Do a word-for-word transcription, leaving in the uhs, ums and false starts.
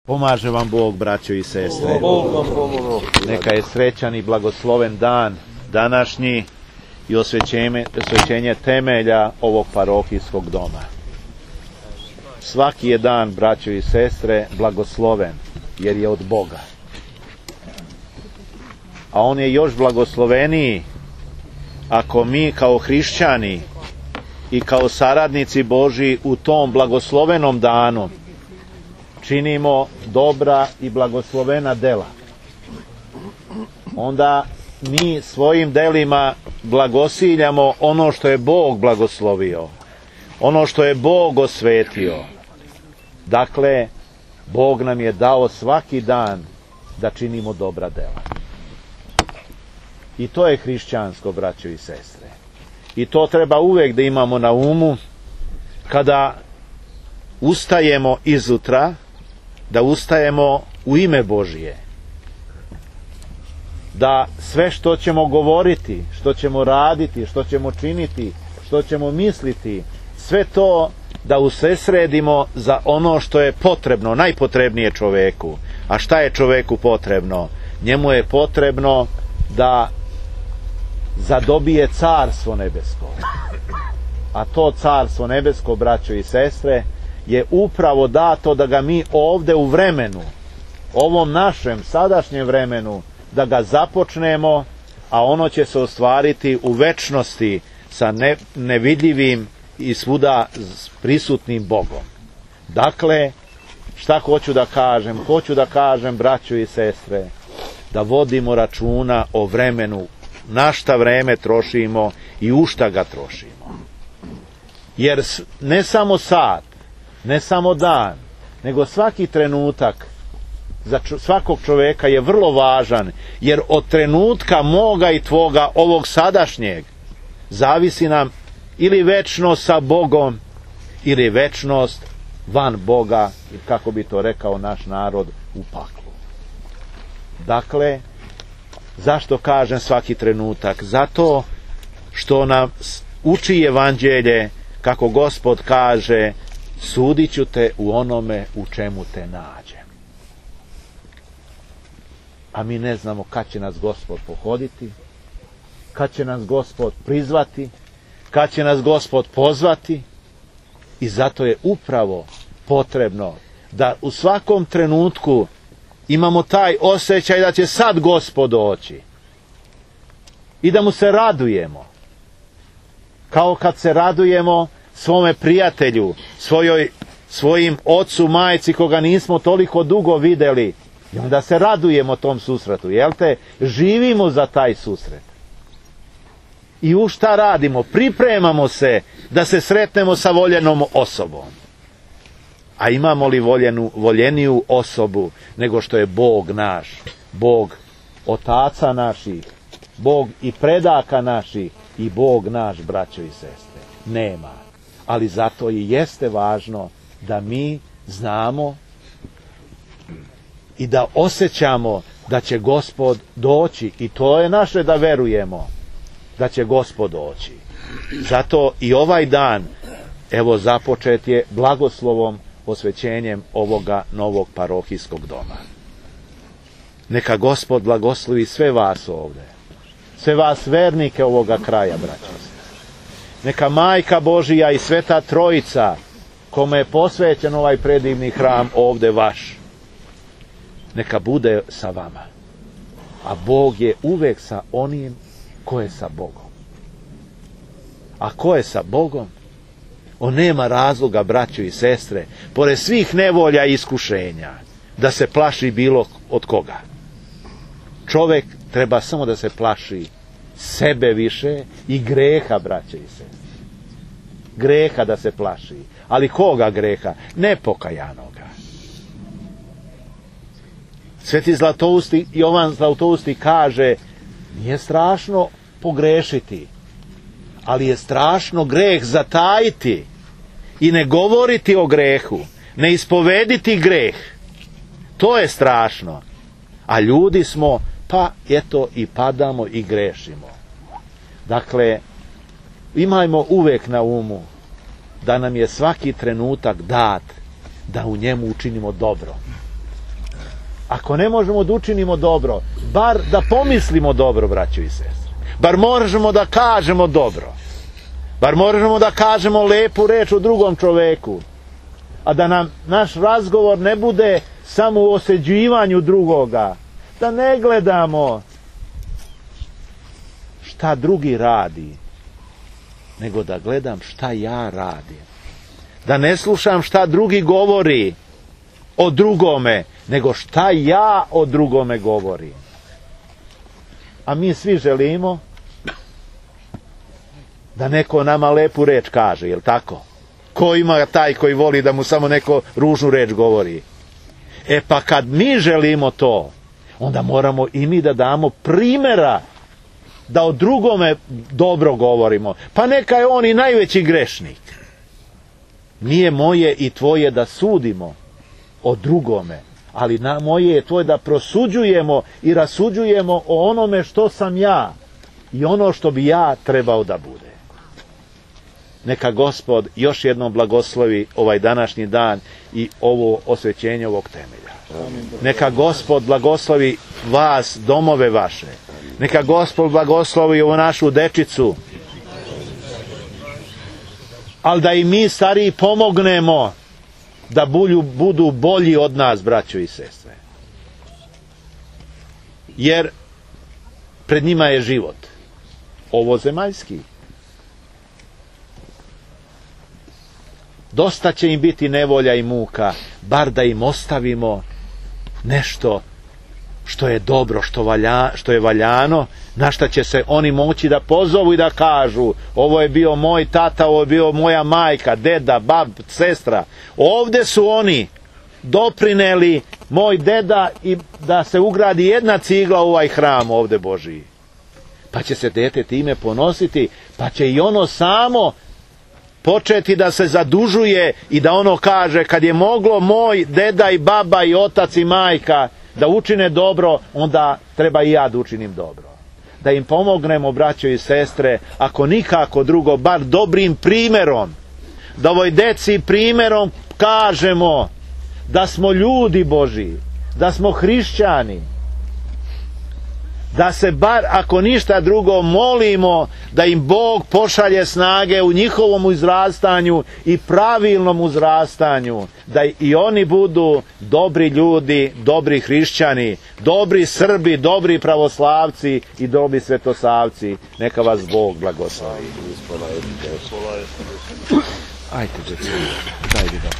Pomaže vam Bog, braćo i sestre. Neka je srećan i blagosloven dan današnji i osvećenje, osvećenje temelja ovog parohijskog doma. Svaki je dan, braćo i sestre, blagosloven, jer je od Boga. A on je još blagosloveniji ako mi kao hrišćani i kao saradnici Božji u tom blagoslovenom danu činimo dobra i blagoslovena dela. Onda mi svojim delima blagosiljamo ono što je Bog blagoslovio, ono što je Bog osvetio. Dakle, Bog nam je dao svaki dan da činimo dobra dela. I to je hrišćansko, braćo i sestre. I to treba uvek da imamo na umu kada ustajemo izutra, da ustajemo u ime Božije. Da sve što ćemo govoriti, što ćemo raditi, što ćemo činiti, što ćemo misliti, sve to da usredsredimo za ono što je potrebno, najpotrebnije čoveku. A šta je čoveku potrebno? Njemu je potrebno da zadobije carstvo nebesko. A to carstvo nebesko, braćo i sestre, je upravo dato da ga mi ovde u vremenu, ovom našem sadašnjem vremenu, da ga započnemo, a ono će se ostvariti u večnosti sa ne, nevidljivim i svuda prisutnim Bogom. Dakle, šta hoću da kažem? Hoću da kažem, braćo i sestre, da vodimo računa o vremenu, na šta vreme trošimo i u šta ga trošimo. Jer ne samo sat, ne samo dan, nego svaki trenutak za svakog čoveka je vrlo važan, jer od trenutka moga i tvoga, ovog sadašnjeg, zavisi nam ili večnost sa Bogom, ili večnost van Boga, kako bi to rekao naš narod, u paklu. Dakle, zašto kažem svaki trenutak? Zato što nam uči evanđelje, kako Gospod kaže, sudit ću te u onome u čemu te nađem. A mi ne znamo kad će nas Gospod pohoditi, kad će nas Gospod prizvati, kad će nas Gospod pozvati, i zato je upravo potrebno da u svakom trenutku imamo taj osjećaj da će sad Gospod doći i da mu se radujemo, kao kad se radujemo svome prijatelju, svojoj, svojim ocu, majci koga nismo toliko dugo videli, i onda se radujemo tom susretu, jel te? Živimo za taj susret. I u šta radimo? Pripremamo se da se sretnemo sa voljenom osobom. A imamo li voljenu, voljeniju osobu nego što je Bog naš, Bog otaca naših, Bog i predaka naših i Bog naš, braćo i sestre? Nema. Ali zato i jeste važno da mi znamo i da osjećamo da će Gospod doći, i to je naše da verujemo da će Gospod doći. Zato i ovaj dan, evo, započet je blagoslovom, osvećenjem ovoga novog parohijskog doma. Neka Gospod blagoslovi sve vas ovde, sve vas vernike ovoga kraja, braćo. Neka Majka Božija i Sveta Trojica, kome je posvećen ovaj predivni hram ovde vaš, neka bude sa vama. A Bog je uvek sa onim ko je sa Bogom. A ko je sa Bogom, on nema razloga, braćo i sestre, pored svih nevolja i iskušenja, da se plaši bilo od koga. Čovek treba samo da se plaši sebe više i greha, braćo i sestre. Greha da se plaši. Ali koga greha? Nepokajanoga. Sveti Zlatousti, Jovan Zlatousti kaže, nije strašno pogrešiti, ali je strašno greh zatajiti i ne govoriti o grehu, ne ispovediti greh. To je strašno. A ljudi smo, pa eto, i padamo i grešimo. Dakle, imajmo uvek na umu da nam je svaki trenutak dat da u njemu učinimo dobro. Ako ne možemo da učinimo dobro, bar da pomislimo dobro, braćo i sestre. Bar možemo da kažemo dobro. Bar možemo da kažemo lepu reč o drugom čoveku. A da nam naš razgovor ne bude samo u osuđivanju drugoga. Da ne gledamo šta drugi radi, nego da gledam šta ja radim. Da ne slušam šta drugi govori o drugome, nego šta ja o drugome govorim. A mi svi želimo da neko nama lepu reč kaže, jel tako? Ko ima taj koji voli da mu samo neko ružnu reč govori? E pa kad mi želimo to, onda moramo i mi da damo primjera da o drugome dobro govorimo. Pa neka je on i najveći grešnik. Nije moje i tvoje da sudimo o drugome, ali na moje je tvoje da prosuđujemo i rasuđujemo o onome što sam ja i ono što bi ja trebao da bude. Neka Gospod još jednom blagoslovi ovaj današnji dan i ovo osvećenje ovog temelja. Neka Gospod blagoslovi vas, domove vaše. Neka Gospod blagoslovi ovu našu dečicu. Ali da i mi stariji pomognemo da bulju, budu bolji od nas, braćo i sestre. Jer pred njima je život. Ovo zemaljski. Dosta će im biti nevolja i muka, bar da im ostavimo nešto što je dobro, što, valja, što je valjano, na šta će se oni moći da pozovu i da kažu: ovo je bio moj tata, ovo je bio moja majka, deda, bab, sestra. Ovde su oni doprineli, moj deda, i da se ugradi jedna cigla u ovaj hram ovde Božiji. Pa će se dete time ponositi, pa će i ono samo početi da se zadužuje i da ono kaže: kad je moglo moj deda i baba i otac i majka da učine dobro, onda treba i ja da učinim dobro. Da im pomognemo, braćo i sestre, ako nikako drugo, bar dobrim primjerom. Da ovoj deci primjerom kažemo da smo ljudi Božji, da smo hrišćani. Da se bar, ako ništa drugo, molimo da im Bog pošalje snage u njihovom uzrastanju i pravilnom uzrastanju, da i oni budu dobri ljudi, dobri hrišćani, dobri Srbi, dobri pravoslavci i dobri svetosavci. Neka vas Bog blagoslovi. Ajde, djeca, dajde da